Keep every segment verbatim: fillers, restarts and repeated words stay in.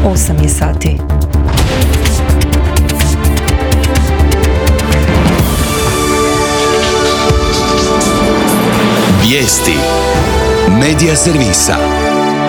osam je sati. Vijesti Medija servisa.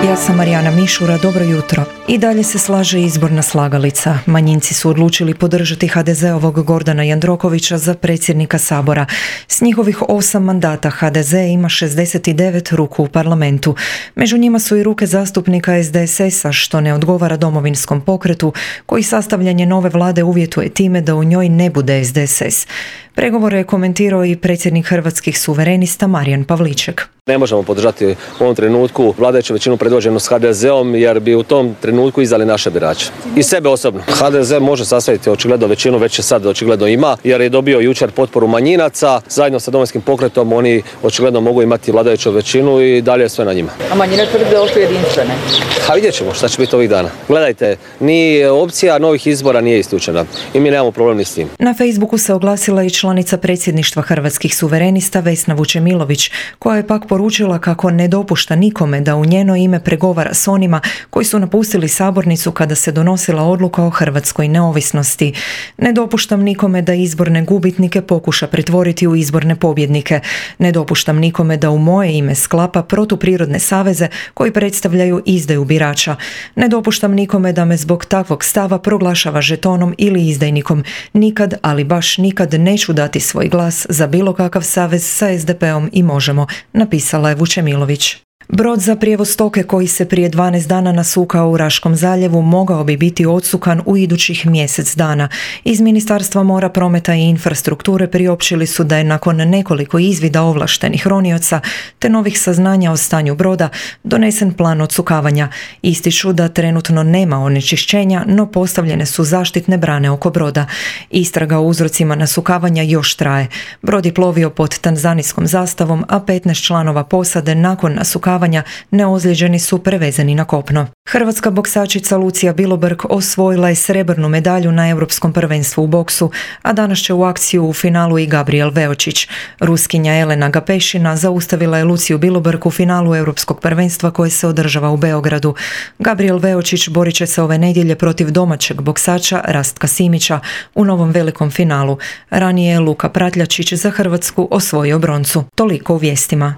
Ja sam Marijana Mišura, dobro jutro. I dalje se slaže izborna slagalica. Manjinci su odlučili podržati ha de zeovog Gordana Jandrokovića za predsjednika Sabora. S njihovih osam mandata ha de ze ima šezdeset devet ruku u parlamentu. Među njima su i ruke zastupnika es de es esa, što ne odgovara Domovinskom pokretu, koji sastavljanje nove vlade uvjetuje time da u njoj ne bude es de es es. Pregovore je komentirao i predsjednik Hrvatskih suverenista Marijan Pavliček. Ne možemo podržati u ovom trenutku vladajuću većinu predvođenu s ha de zeom jer bi u tom trenutku izdali naše birače. I sebe osobno. ha de ze može sastaviti očigledno većinu, već je sad očigledno ima, jer je dobio jučer potporu manjinaca. Zajedno sa Domovinskim pokretom oni očigledno mogu imati vladajuću većinu i dalje je sve na njima. A manjine tvrde da su jedinstvene? A vidjet ćemo šta će biti ovih dana. Gledajte, ni opcija novih izbora nije isključena i mi nemamo problem ni s tim. Na Facebooku se oglasila i članica predsjedništva Hrvatskih suverenista Vesna Vučemilović, koja je pak poručila kako ne dopušta nikome da u njeno ime pregovara s onima koji su napustili sabornicu kada se donosila odluka o hrvatskoj neovisnosti. Ne dopuštam nikome da izborne gubitnike pokuša pretvoriti u izborne pobjednike. Ne dopuštam nikome da u moje ime sklapa protuprirodne saveze koji predstavljaju izdaju birača. Ne dopuštam nikome da me zbog takvog stava proglašava žetonom ili izdajnikom. Nikad, ali baš nikad neću dati svoj glas za bilo kakav savez sa es de peom i Možemo, napisala je Vučemilović. Brod za prijevoz stoke koji se prije dvanaest dana nasukao u Raškom zaljevu mogao bi biti odsukan u idućih mjesec dana. Iz Ministarstva mora, prometa i infrastrukture priopćili su da je nakon nekoliko izvida ovlaštenih ronioca te novih saznanja o stanju broda donesen plan odsukavanja. Ističu da trenutno nema onečišćenja, no postavljene su zaštitne brane oko broda. Istraga o uzrocima nasukavanja još traje. Brod je plovio pod tanzanijskom zastavom, a petnaest članova posade nakon nasukavanja neozlijeđeni su prevezeni na kopno. Hrvatska boksačica Lucija Bilobrg osvojila je srebrnu medalju na Europskom prvenstvu u boksu, a danas će u akciju u finalu i Gabriel Veočić. Ruskinja Elena Gapešina zaustavila je Luciju Bilobrg u finalu Europskog prvenstva koje se održava u Beogradu. Gabriel Veočić borit će se ove nedjelje protiv domaćeg boksača Rastka Simića u novom velikom finalu. Ranije je Luka Pratljačić za Hrvatsku osvojio broncu. Toliko u vijestima.